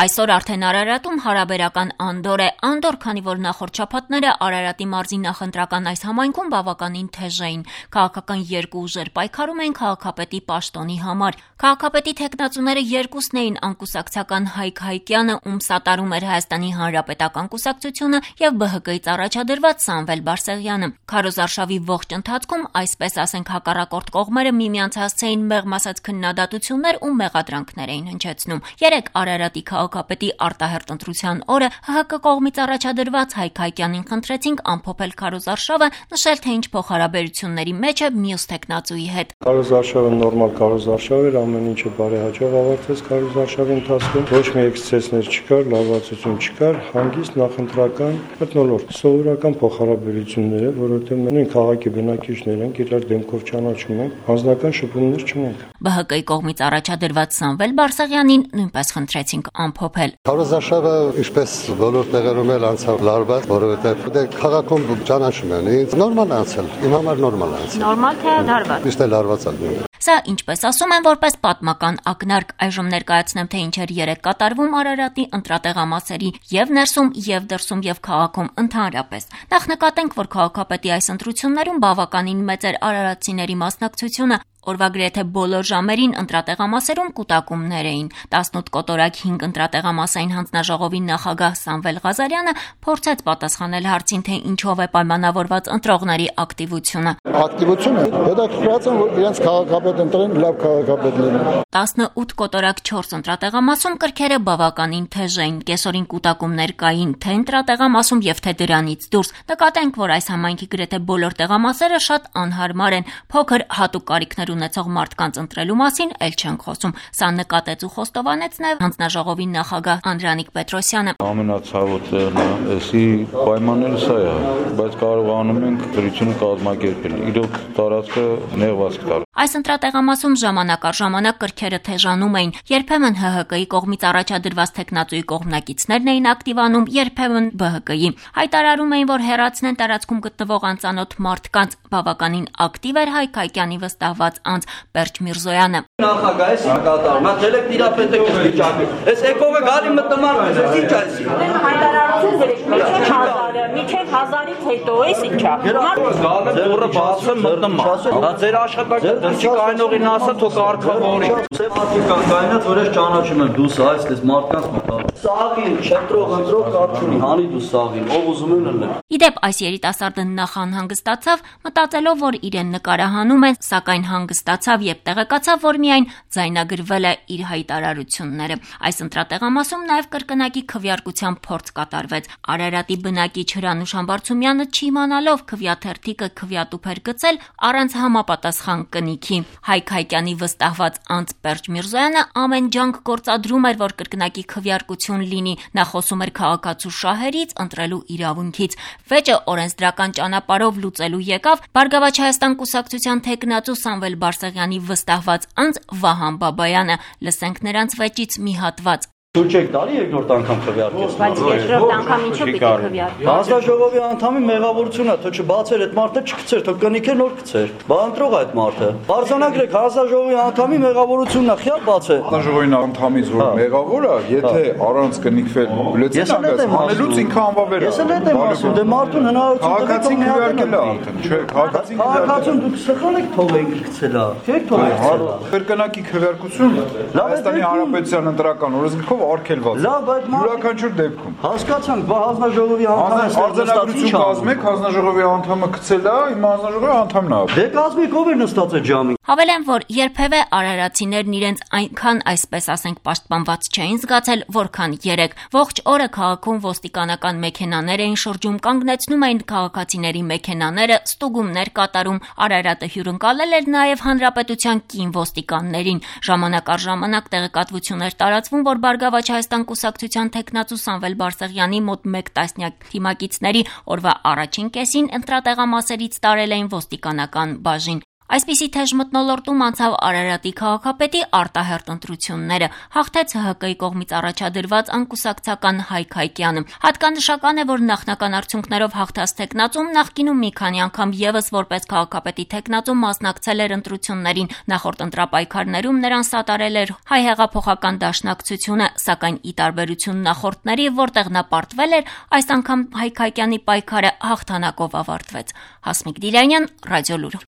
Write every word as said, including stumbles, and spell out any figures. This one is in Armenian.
Այսօր արդեն Արարատում հարաբերական անդոր է, անդոր, քանի որ նախորդ շաբաթները Արարատի մարզի նախընտրական այս համայնքում բավականին թեժ էին։ Քաղաքական երկու ուժեր պայքարում էին քաղաքապետի պաշտոնի համար։ Քաղաքապետի թեկնածուները երկուսն էին անկուսակցական Հայկ Հայկյանը, ում սատարում էր Հայաստանի Հանրապետական կուսակցությունը, եւ B H K-ից առաջադրված Սամվել Բարսեղյանը։ Քարոզարշավի ողջ ընթացքում, այսպես ասենք, հակառակորդ կողմերը միմյանց հասցեին մեղմ ասած քննադատություններ ու մեղադրանքներ էին հնչեցնում։ Երեք Արարատի քաղաքապետի արտահերտ ընտրության օրը H H K կողմից առաջադրված Հայկ Հայկյանին խնդրեցինք ամփոփել քարոզարշավը, նշել թե ինչ փոխհարաբերությունների մեջ է մյուս թեկնածուի հետ։ Քարոզարշավը նորմալ քարոզարշավ էր, ամեն ինչը բարեհաջող ավարտվեց քարոզարշավի ընթացքում։ Ոչ մի էքսցեսներ չկար, լարվածություն չկար, հանգիստ նախընտրական մթնոլորտ, սովորական փոխհարաբերություններ է, որովհետև մենք քաղաքի բնակիչներ ենք, իրար դեմքով ճանաչում ենք, հանձնական շփումներ չունենք։ B H K-ի կողմից առաջադրված Սամվել Բարսեղյանին նույնպես խնդրեցինք ամփոփել։ Քարոզարշավը ինչպես բոլոր տեղերում էլ անցավ լարված, որովհետև դե քաղաքում ճանաչում են, նորմալ անցել, իմ համար նորմալ անցել։ Նորմալ թե լարված։ Միշտ էլ լարված ալնում։ Սա, ինչպես ասում են, որպես պատմական ակնարկ, այժմ ներկայացնեմ, թե ինչեր երեք կատարվում Արարատի ընտրատեղամասերի եւ ներսում, եւ դրսում, եւ քաղաքում ընդհանրապես։ Նախ նկատենք, որ քաղաքապետի այս ընտրություններում բավականին մեծ էր արարատցիների մասնակցությունը։ Օրվա գրեթե բոլոր ժամերին ընտրատեղամասերում կուտակումներ էին։ տասնութ կոտորակ հինգ ընտրատեղամասային հանձնաժողովի նախագահ Սամվել Ղազարյանը փորձեց պատասխանել հարցին, թե ինչով է պայմանավորված ընտրողների ակտիվությունը։ Ակտիվությունը հետաքրքրած են, որ իրենց քաղաքապետ ընտրեն, լավ քաղաքապետ լինեն։ տասնութ կոտորակ չորս ընտրատեղամասում կրքերը բավականին թեժ էին։ Կեսօրին կուտակումներ կային թե ընտրատեղամասում եւ թե դրանից դուրս։ Նկատենք, որ այս համայնքի գրեթե բոլոր տեղամասերը շատ անհարմար են, փոքր հատուկ կարիքներ ունեցող մարդկանց ընտրելու մասին էլ չենք խոսում։ Սա նկատեց ու խոստովանեց նաև հանձնաժողովի նախագահ Անդրանիկ Պետրոսյանը։ Ամենացավոտ տեղն է, էսի պայմանները սա է, բայց կարողանում ենք դրությունը կազմակերպել։ Իրոք տարածքը նեղված կտար։ Այս ընտրատեղամասում ժամանակ առ ժամանակ կրքերը թեժանում էին։ Երբեմն H H K-ի կողմից առաջադրված թեկնածուի կողմնակիցներն էին ակտիվանում, երբեմն B H K-ի։ Հայտարարում էին, որ հեռացնեն տարածքում գտնվող անծանոթ մարդկանց։ Բավականին ակտիվ էր Հայկ Հայկյանի վստահված անձ Պերճ Միրզոյանը։ Նախագահ է կատարում, նա դելեք տիրապետեք վիճակի։ Այս եկողը գալի մտմարում է, ինչ է այսի։ Հայտարարություն գրեք, միջև հազարը, միջև հազարից հետո էս ինչա։ Ձերը բացը մտմար։ Դա ձեր աշխատանքը դրսի կայնողին ասա, թող կարգավորի։ Սեփական կայնած, որ ես ճանաչում եմ դուս այս դες մարդկանց մտավ։ Սաղին, չտրող, ընտրող կարծունի, հանի դու սաղին, ով ուզում են լնել։ Իդեպ այս երիտասարդը նախ անհանգստացավ, մտածելով, որ իրեն նկարահանում են, սակայն հանգստացավ եւ տեղեկացավ, որ միայն ձայնագրվել է իր հայտարարությունները։ Այս ընտրատեղամասում նաեւ կրկնակի քվեարկության փորձ կատարվեց։ Արարատի բնակիչ Հրանուշ Համբարձումյանը չիմանալով քվեաթերթիկը քվեատուփ էր գցել առանց համապատասխան կնիքի։ Հայկ Հայկյանի վստահված անձ Պերճ Միրզոյանը ամեն ջանք գործադրում էր, որ կրկնակի քվեարկություն լինի։ Նա խոսում էր քաղաքացու շահերից, ընտրելու իրավունքից։ Վեճը օրենսդրական ճանապարհով լուծելու եկավ Բարգավաճ Հայաստան կուսակցության թեկնածու Սամվել Բարսեղյանի վստահված անձ Վահան Բաբայանը։ Լսենք նրանց վեճից մի հատված։ Դու չեք տալի երկրորդ անգամ քվեարկես։ Բայց երկրորդ անգամ ինչու պիտի քվեարկի։ Հանձնաժողովի անդամի մեղավորությունն է, թող չբացեր այդ մարդը, չգցեր, թող կնիքեր նոր գցեր։ Բա ընտրող այդ մարդը։ Բարձանագրեք հանձնաժողովի անդամի մեղավորությունն է, խիա բաց է։ Հանձնաժողովի անդամից որ մեղավոր է, եթե առանց կնիքվել բյուլետեն անգամ հանելուց ինքը անվավեր է։ Ես էլ այդ եմ ասում, դե մարդուն հնարավորություն տվեք քվեարկել է արդեն, չէ, քաղաքացին քաղաքացուն դուք սխալ եք թողեք գցելա։ Չէ՞ք թողեք։ Կրկնակի քվեարկություն Հայաստանի Հանրապետության ընտրական օրենսգրքով արգելված։ Լավ, այդ յուրաքանչյուր դեպքում։ Հասկացանք, բա հանձնաժողովի անդամը արձանագրություն կազմեք, հանձնաժողովի անդամը գցել է, իմ հանձնաժողովի անդամն է։ Դե կազմիկ ով էր նստած այդ ժամին։ Հավելեմ, որ երբևէ արարատցիներն իրենց այնքան, այսպես ասենք, պաշտպանված չէին զգացել, որքան երեք։ Ողջ օրը քաղաքում ոստիկանական մեքենաներ էին շրջում, կանգնեցնում էին քաղաքացիների մեքենաները, ստուգումներ կատարում։ Արարատը հյուրընկալել էր նաև հանրապետության կին ոստիկաններին։ Ժամանակ առ ժամանակ տեղեկատվություններ տարածվում, որ Բարգավաճ Հայաստան կուսակցության թեկնածու Սամվել Բարսեղյանի մոտ մեկ տասնյակ թիմակիցների օրվա առաջին կեսին ընտրատեղամասերից տարել էին ոստիկանական բաժին։ Այսպիսի թեժ մթնոլորտում անցավ Արարատի քաղաքապետի արտահերթ ընտրությունները, հաղթեց Հ Հ Կ-ի կողմից առաջադրված անկուսակցական Հայկ Հայկյանը։ Հատկանշական է, որ նախնական արդյունքներով հաղթած թեկնածուն նախկինում մի քանի անգամ եւս որպես քաղաքապետի թեկնածու մասնակցել էր ընտրություններին, նախորդ ընտրապայքարներում նրան սատարել էր Հայ հեղափոխական դաշնակցությունը, սակայն ի տարբերություն նախորդների, որտեղ նա պարտվել էր, այս անգամ Հայկ Հայկյանի պայքարը հաղթանակով ավարտվեց։ Հասմիկ Դիլյանյան, Ռադիոլուր։